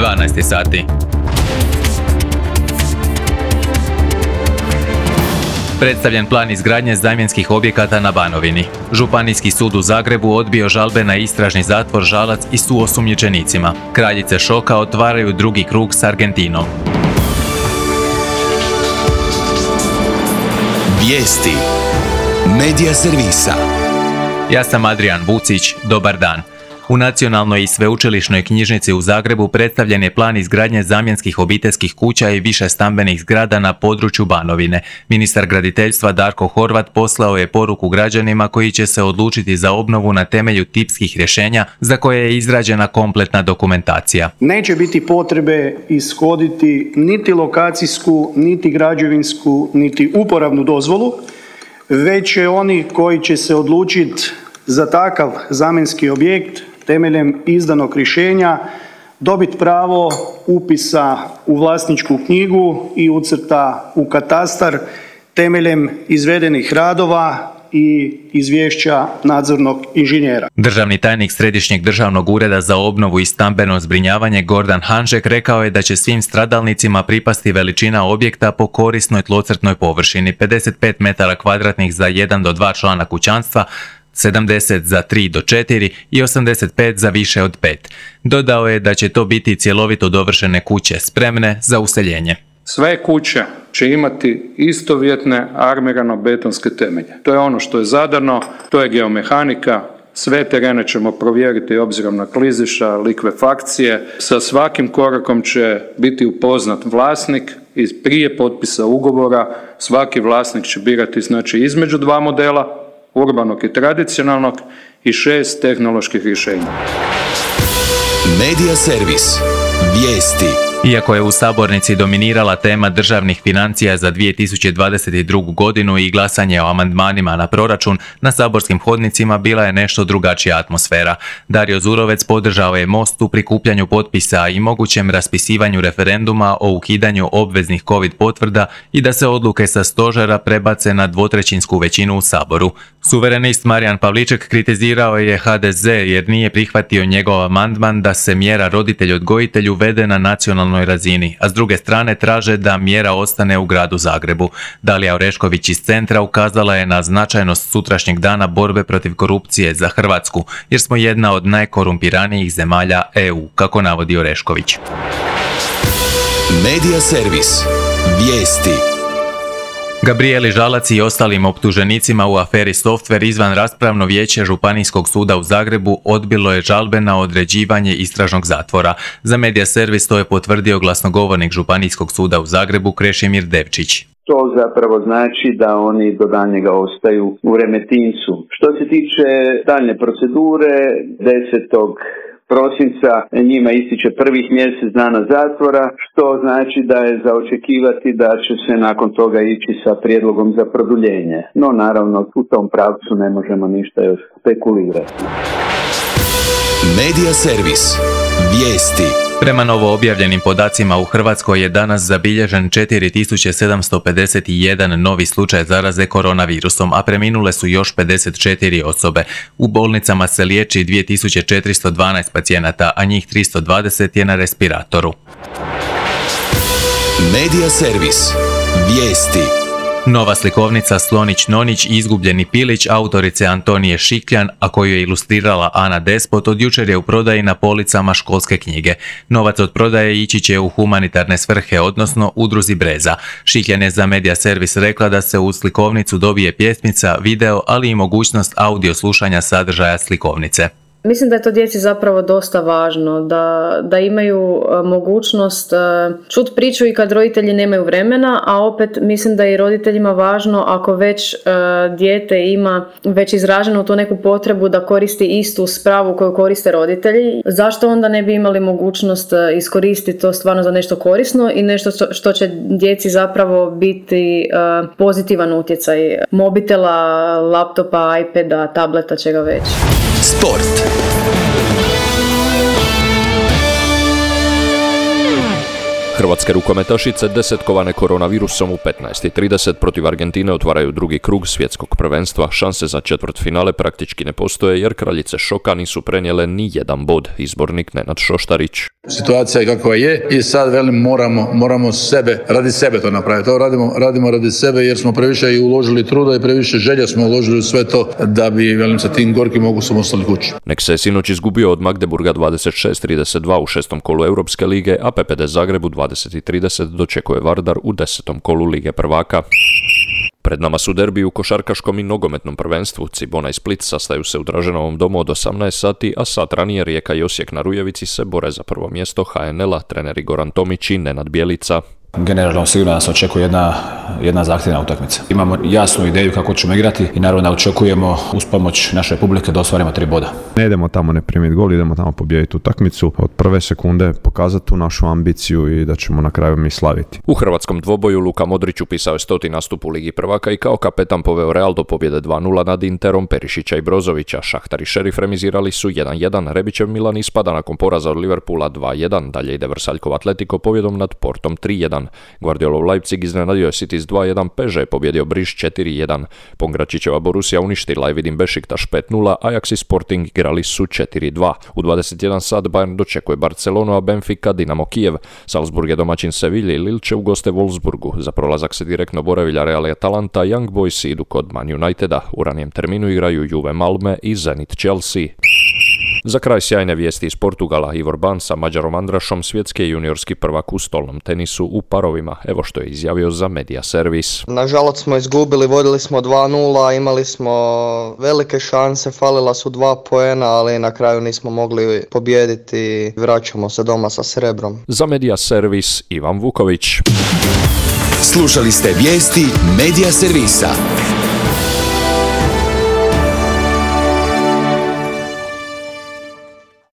12 sati. Predstavljen plan izgradnje zamjenskih objekata na Banovini. Županijski sud u Zagrebu odbio žalbe na istražni zatvor Žalac i suosumnjičenicima. Kraljice šoka otvaraju drugi krug s Argentinom. Vijesti Medija servisa. Ja sam Adrian Vucić, dobar dan. U Nacionalnoj i sveučilišnoj knjižnici u Zagrebu predstavljen je plan izgradnje zamjenskih obiteljskih kuća i više stambenih zgrada na području Banovine. Ministar graditeljstva Darko Horvat poslao je poruku građanima koji će se odlučiti za obnovu na temelju tipskih rješenja za koje je izrađena kompletna dokumentacija. Neće biti potrebe ishoditi niti lokacijsku, niti građevinsku, niti uporabnu dozvolu, već će oni koji će se odlučiti za takav zamjenski objekt temeljem izdanog rješenja dobiti pravo upisa u vlasničku knjigu i ucrta u katastar temeljem izvedenih radova i izvješća nadzornog inženjera. Državni tajnik Središnjeg državnog ureda za obnovu i stambeno zbrinjavanje Gordan Hanžek rekao je da će svim stradalnicima pripasti veličina objekta po korisnoj tlocrtnoj površini 55 metara kvadratnih za 1 do 2 člana kućanstva, 70 za 3 do 4 i 85 za više od 5. Dodao je da će to biti cjelovito dovršene kuće spremne za useljenje. Sve kuće će imati istovjetne armirano-betonske temelje. To je ono što je zadano, to je geomehanika. Sve terene ćemo provjeriti obzirom na klizišta, likvefakcije. Sa svakim korakom će biti upoznat vlasnik i prije potpisa ugovora svaki vlasnik će birati između 2 modela, urbanog i tradicionalnog i 6 tehnoloških rješenja. Medija servis. Vijesti. Iako je u sabornici dominirala tema državnih financija za 2022. godinu i glasanje o amandmanima na proračun, na saborskim hodnicima bila je nešto drugačija atmosfera. Dario Zurovec podržao je Most u prikupljanju potpisa i mogućem raspisivanju referenduma o ukidanju obveznih COVID potvrda i da se odluke sa stožera prebace na dvotrećinsku većinu u Saboru. Suverenist Marijan Pavliček kritizirao je HDZ jer nije prihvatio njegov amandman da se mjera roditelj-odgojitelj uvede na nacionalnoj razini, a s druge strane traže da mjera ostane u gradu Zagrebu. Dalija Orešković iz Centra ukazala je na značajnost sutrašnjeg dana borbe protiv korupcije za Hrvatsku, jer smo jedna od najkorumpiranijih zemalja EU, kako navodi Orešković. Medija servis. Vijesti. Gabrijeli Žalac i ostalim optuženicima u aferi Softver izvan raspravno vijeće Županijskog suda u Zagrebu odbilo je žalbe na određivanje istražnog zatvora. Za Medija servis to je potvrdio glasnogovornik Županijskog suda u Zagrebu Krešimir Devčić. To zapravo znači da oni do daljnjega ostaju u Remetincu. Što se tiče daljnje procedure, 10. prosinca njima ističe prvih mjesec dana zatvora, što znači da je za očekivati da će se nakon toga ići sa prijedlogom za produljenje. No naravno u tom pravcu ne možemo ništa još spekulirati. Medija servis. Vijesti. Prema novo objavljenim podacima u Hrvatskoj je danas zabilježen 4751 novi slučaj zaraze koronavirusom, a preminule su još 54 osobe. U bolnicama se liječi 2412 pacijenata, a njih 320 je na respiratoru. Medija servis. Vijesti. Nova slikovnica Slonić-Nonić i izgubljeni pilić autorice Antonije Šikljan, a koju je ilustrirala Ana Despot, od jučer je u prodaji na policama školske knjige. Novac od prodaje ići će u humanitarne svrhe, odnosno udruzi Breza. Šikljan je za Medija servis rekla da se u slikovnicu dobije pjesmica, video, ali i mogućnost audio slušanja sadržaja slikovnice. Mislim da je to djeci zapravo dosta važno, da imaju mogućnost čuti priču i kad roditelji nemaju vremena, a opet mislim da je i roditeljima važno ako već dijete ima već izraženu tu neku potrebu da koristi istu spravu koju koriste roditelji. Zašto onda ne bi imali mogućnost iskoristiti to stvarno za nešto korisno i nešto što će djeci zapravo biti pozitivan utjecaj mobitela, laptopa, iPada, tableta, čega već. Sport. Hrvatske rukometašice desetkovane koronavirusom u 15:30 protiv Argentine otvaraju drugi krug svjetskog prvenstva. Šanse za četvrtfinale praktički ne postoje jer kraljice šoka nisu prenijele ni jedan bod. Izbornik Nenad Šoštarić. Situacija je kakva je i sad moramo radi sebe to napraviti. To radimo radi sebe jer smo previše i uložili truda i previše želja smo uložili u sve to da bi sa tim gorkim okusom ostali kući. Nek se sinoć izgubio od Magdeburga 26:32 u 6. kolu Europske lige, a PPD Zagreb u 20:30 dočekuje Vardar u 10. kolu Lige prvaka. Pred nama su derbi u košarkaškom i nogometnom prvenstvu. Cibona i Split sastaju se u Draženovom domu od 18 sati, a sat ranije Rijeka i Osijek na Rujevici se bore za prvo mjesto HNL-a, treneri Goran Tomić i Nenad Bjelica. Generalno sigurno nas očekuje jedna zahtjevna utakmica. Imamo jasnu ideju kako ćemo igrati i naravno da očekujemo uz pomoć naše publike da ostvarimo 3 boda. Ne idemo tamo ne primiti gol, idemo tamo pobijediti utakmicu. Od prve sekunde pokazati tu našu ambiciju i da ćemo na kraju mi slaviti. U hrvatskom dvoboju Luka Modrić upisao je 100. nastup u Ligi prvaka i kao kapetan poveo Real do pobjede 2:0 nad Interom Perišića i Brozovića. Šahtar i Šerif remizirali su 1:1. Rebićev Milan ispada nakon poraza od Liverpoola 2:1. Dalje ide Vrsaljkov Atletico pobjedom nad Portom 3:1. Guardiolov Leipzig iznenadio je City s 2:1, Peže je pobjedio Briš 4:1. Pongračićeva Borussia uništila je Vidim Bešiktaš 5:0, Ajax i Sporting igrali su 4:2. U 21 sat Bayern dočekuje Barcelonu, a Benfica Dinamo Kijev. Salzburg je domaćin Sevilje i Lille će u goste Wolfsburgu. Za prolazak se direktno bore Villarreal i Atalanta, Young Boys idu kod Man Uniteda. U ranijem terminu igraju Juve Malme i Zenit Chelsea. Za kraj sjajne vijesti iz Portugala. Ivor Ban sa Mađarom Andrašom svjetski je juniorski prvak u stolnom tenisu u parovima. Evo što je izjavio za Media Servis. Nažalost smo izgubili, vodili smo 2:0, imali smo velike šanse, falila su 2 poena, ali na kraju nismo mogli pobijediti. Vraćamo se doma sa srebrom. Za Media Servis Ivan Vuković. Slušali ste vijesti Media Servisa.